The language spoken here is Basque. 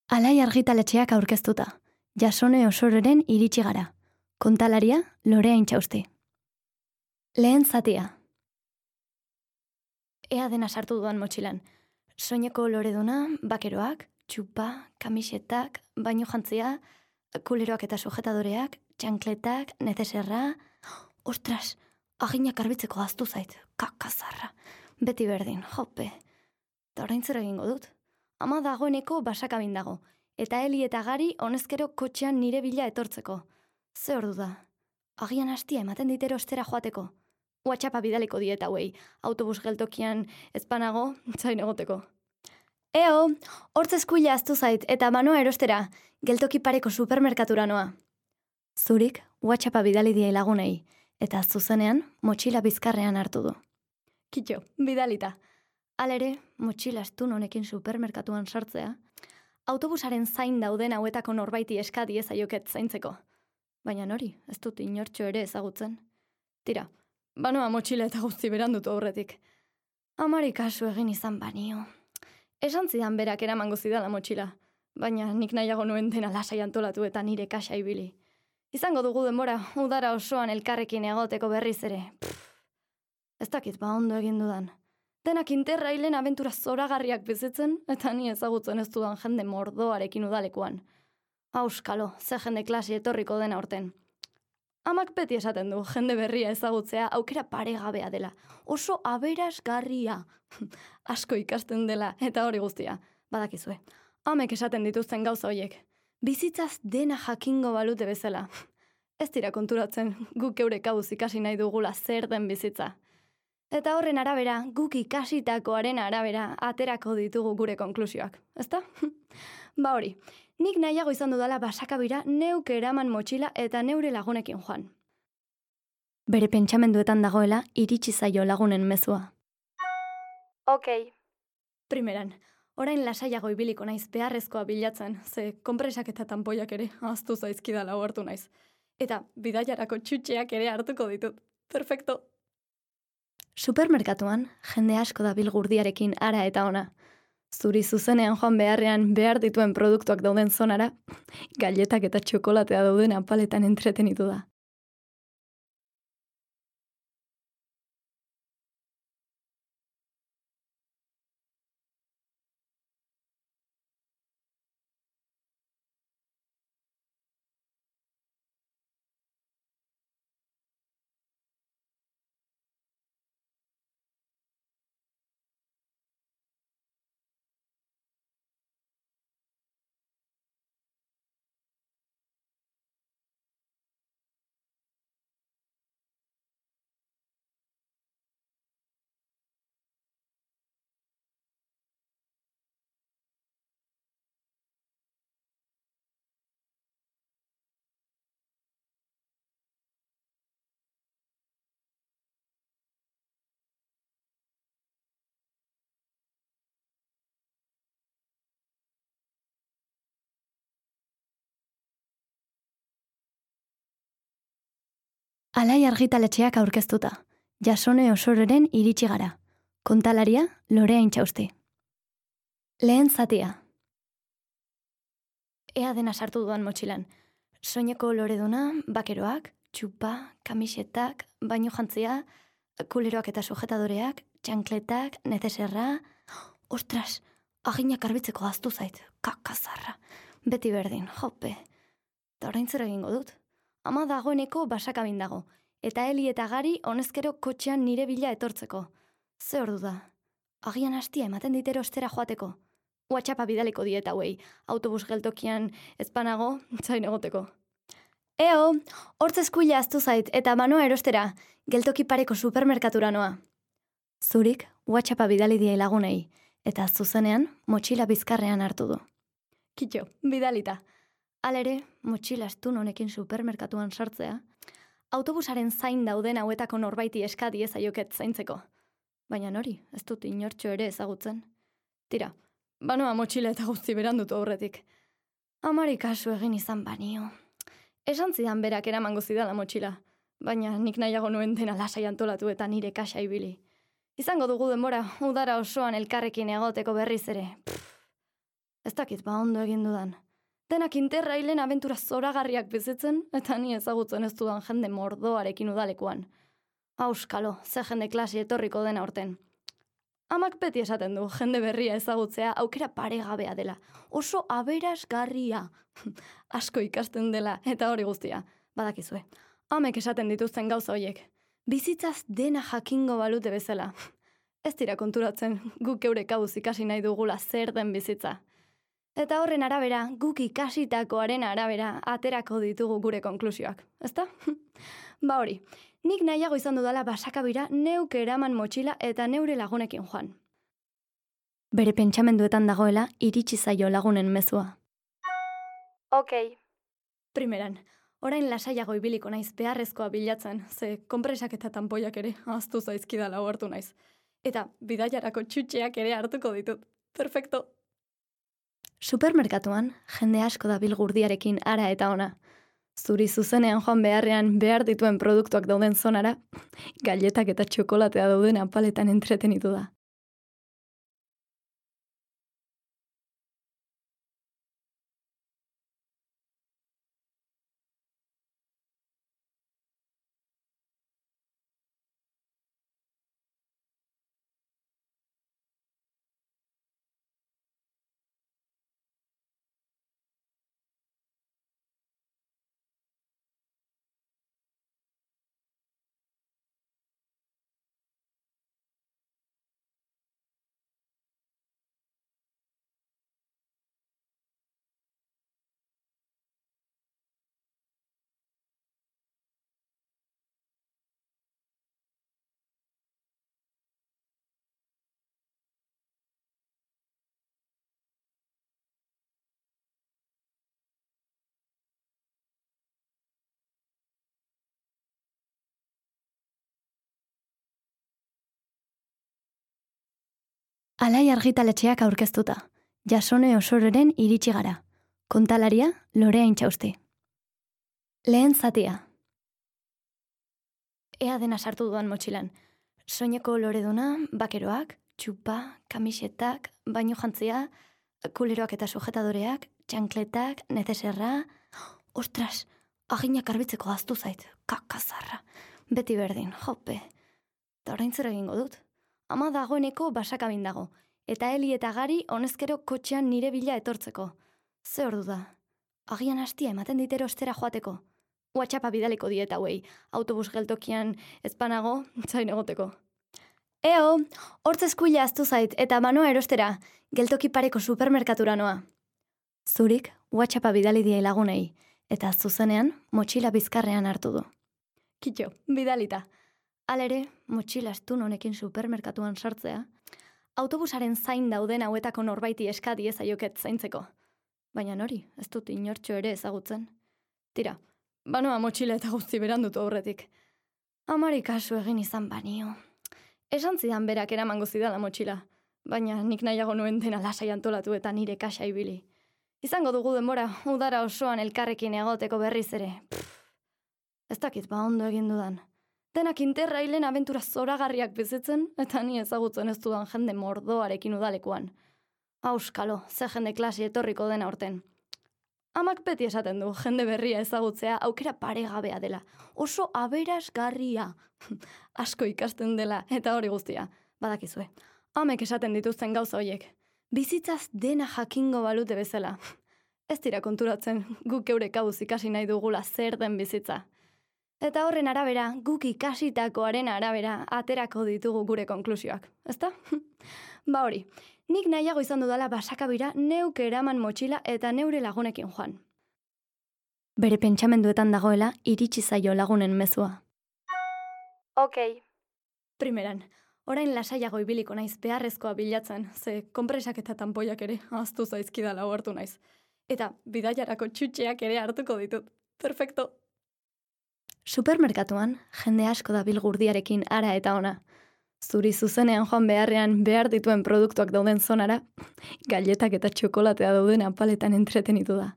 Alai argitaletxeak aurkeztuta. Jasone Osororen iritsi gara. Kontalaria Lorea Intxausti. Lehen zatia. Ea dena sartu duan motxilan. Soineko loreduna, bakeroak, txupa, kamisetak, baino jantzia, kuleroak eta sujetadoreak, txankletak, nezeserra... Ostras, aginak arbitzeko gaztu zait, kakazarra. Beti berdin, jope. Eta orain zer egingo dut? Ama dagoeneko basakabin dago, eta Eli eta Gari honezkero kotxean nire bila etortzeko. Ze ordu da? Agian hastia ematen ditero ostera joateko. WhatsAppa bidaliko diet hauei, autobus geltokian ezpanago, zain egoteko. Eo, hortz eskuila aztu zait eta manoa erostera, geltoki pareko supermerkatura noa. Zurik WhatsAppa bidali diei lagunei, eta zuzenean motxila bizkarrean hartu du. Kitxo, bidalita. Halere, motxila astun honekin supermerkatuan sartzea, autobusaren zain dauden hauetako norbaiti eskadi ezaioket zaintzeko. Baina nori, ez dut inortxo ere ezagutzen. Tira, banoa motxila eta guzti berandutu aurretik. Amari kasu egin izan banio. Esan zidan berak eramango zidala motxila, baina nik nahiago nuen dena lasai antolatu eta nire kasa ibili. Izango dugu denbora, udara osoan elkarrekin egoteko berriz ere. Ez dakit ba ondo egin dudan. Denak interrailen abentura zoragarriak bizitzen, eta ni ezagutzen ez dudan jende mordoarekin udalekuan. Auskalo, ze jende klase etorriko dena horten. Amak beti esaten du, jende berria ezagutzea aukera paregabea dela. Oso aberasgarria. Asko ikasten dela, eta hori guztia. Badakizue, amek esaten dituzten gauza hoiek. Bizitzaz dena jakingo balute bezala. Ez dira konturatzen, guk eurek hauz ikasi nahi dugula zer den bizitza. Eta horren arabera, guk ikasitakoaren arabera aterako ditugu gure konklusioak, ezta? Ba hori, nik nahiago izan dudala basakabira neuk eraman motxila eta neure lagunekin joan. Bere pentsamenduetan dagoela iritsi zaio lagunen mezua. Ok. Primeran, orain lasaiago ibiliko naiz beharrezkoa bilatzen, ze konpresak eta tanpoiak ere ahaztu zaizkidala ohartu naiz. Eta bidaiarako txutxeak ere hartuko ditut. Perfecto. Supermerkatuan, jende asko dabil gurdiarekin ara eta ona. Zuri zuzenean joan beharrean behar dituen produktuak dauden zonara, galletak eta txokolatea dauden apaletan entretenitu da. Alai argitaletxeak aurkeztuta. Jasone Osororen iritsi gara. Kontalaria Lorea Intxausti. Lehen zatia. Ea dena sartu duan motxilan. Soineko loreduna, bakeroak, txupa, kamisetak, baino jantzia, kuleroak eta sujetadoreak, txankletak, nezeserra... Ostras, aginak arbitzeko gaztu zait, kakazarra. Beti berdin, jope. Eta orain zer egingo dut? Ama dagoeneko basakabin dago, eta Eli eta Gari honezkero kotxean nire bila etortzeko. Ze ordu da? Agian hastia ematen ditero ostera joateko. WhatsAppa bidaliko diet hauei, autobus geltokian ezpanago, zain egoteko. Eo, hortz eskuila aztu zait eta manoa erostera, geltoki pareko supermerkatura noa. Zurik WhatsAppa bidali diei lagunei, eta zuzenean motxila bizkarrean hartu du. Kitxo, bidalita. Halere, motxila astun honekin supermerkatuan sartzea, autobusaren zain dauden hauetako norbaiti eskadi ezaioket zaintzeko. Baina nori, ez dut inortxo ere ezagutzen. Tira, banoa motxila eta guzti berandutu aurretik. Amari kasu egin izan banio. Esan zidan berak eramango zidala motxila, baina nik nahiago nuen dena lasai antolatu eta nire kasa ibili. Izango dugu denbora, udara osoan elkarrekin egoteko berriz ere. Ez dakit ba ondo egin dudan. Denak interrailen abentura zoragarriak bizitzen, eta ni ezagutzen ez dudan jende mordoarekin udalekuan. Auskalo, ze jende klase etorriko dena orten. Amak beti esaten du, jende berria ezagutzea aukera paregabea dela. Oso aberasgarria. Asko ikasten dela, eta hori guztia. Badakizue. Amek esaten dituzten gauza horiek. Bizitzaz dena jakingo balute bezala. Ez dira konturatzen, guk eurek kabuz ikasi nahi dugula zer den bizitza. Eta horren arabera, guk ikasitakoaren arabera, aterako ditugu gure konklusioak. Ezta? Ba hori, nik nahiago izan dudala basakabira neuke eraman motxila eta neure lagunekin joan. Bere pentsamenduetan dagoela iritsi zaio lagunen mezua. Ok. Primeran, orain lasaiago ibiliko naiz beharrezkoa bilatzen, ze konpresak eta tanpoiak ere ahaztu zaizkidala ohartu naiz. Eta bidaiarako txutxeak ere hartuko ditut. Perfecto. Supermerkatuan, jende asko dabil gurdiarekin ara eta ona. Zuri zuzenean joan beharrean behar dituen produktuak dauden zonara, galletak eta txokolatea dauden apaletan entretenitu da. Alai argitaletxeak aurkeztuta. Jasone Osororen iritsi gara. Kontalaria Lorea Intxausti. Lehen zatia. Ea dena sartu duan motxilan. Soineko loreduna, bakeroak, txupa, kamisetak, baino jantzia, kuleroak eta sujetadoreak, txankletak, nezeserra... Ostras, aginak arbitzeko gaztu zait, kakazarra. Beti berdin, jope. Eta orain zer egingo dut? Ama dagoeneko basakabin dago, eta Eli eta Gari honezkero kotxean nire bila etortzeko. Ze ordu da? Agian hastia ematen ditero ostera joateko. WhatsAppa bidaliko diet hauei, autobus geltokian ezpanago, zain egoteko. Eo, hortz eskuila aztu zait eta manoa erostera, geltoki pareko supermerkatura noa. Zurik, WhatsAppa bidali diei lagunei, eta zuzenean motxila bizkarrean hartu du. Kitxo, bidalita. Halere, motxila astun honekin supermerkatuan sartzea, autobusaren zain dauden hauetako norbaiti eskadi ezaioket zaintzeko. Baina nori, ez dut inortxo ere ezagutzen. Tira, banoa motxila eta guzti berandutu aurretik. Amari kasu egin izan banio. Esan zidan berak eramango zidala motxila, baina nik nahiago nuen dena lasai antolatu eta nire kasa ibili. Izango dugu denbora, udara osoan elkarrekin egoteko berriz ere. Ez dakit ba ondo egin dudan. Denak interrailen abentura zoragarriak bizitzen, eta ni ezagutzen ez dudan jende mordoarekin udalekuan. Auskalo, ze jende klase etorriko dena orten. Amak beti esaten du, jende berria ezagutzea aukera paregabea dela. Oso aberasgarria. Asko ikasten dela, eta hori guztia. Badakizue. Amek esaten dituzten gauza horiek. Bizitzaz dena jakingo balute bezala. Ez dira konturatzen, guk eurek kabuz ikasi nahi dugula zer den bizitza. Eta horren arabera, guk ikasitakoaren arabera, aterako ditugu gure konklusioak. Ezta? Ba hori, nik nahiago izan dudala basakabira neuke eraman motxila eta neure lagunekin joan. Bere pentsamenduetan dagoela iritsi zaio lagunen mezua. Ok. Primeran, orain lasaiago ibiliko naiz beharrezkoa bilatzen, ze konpresak eta tanpoiak ere ahaztu zaizkidala ohartu naiz. Eta bidaiarako txutxeak ere hartuko ditut. Perfecto. Supermerkatuan, jende asko dabil gurdiarekin ara eta ona. Zuri zuzenean joan beharrean behar dituen produktuak dauden zonara, galletak eta txokolatea dauden apaletan entretenitu da.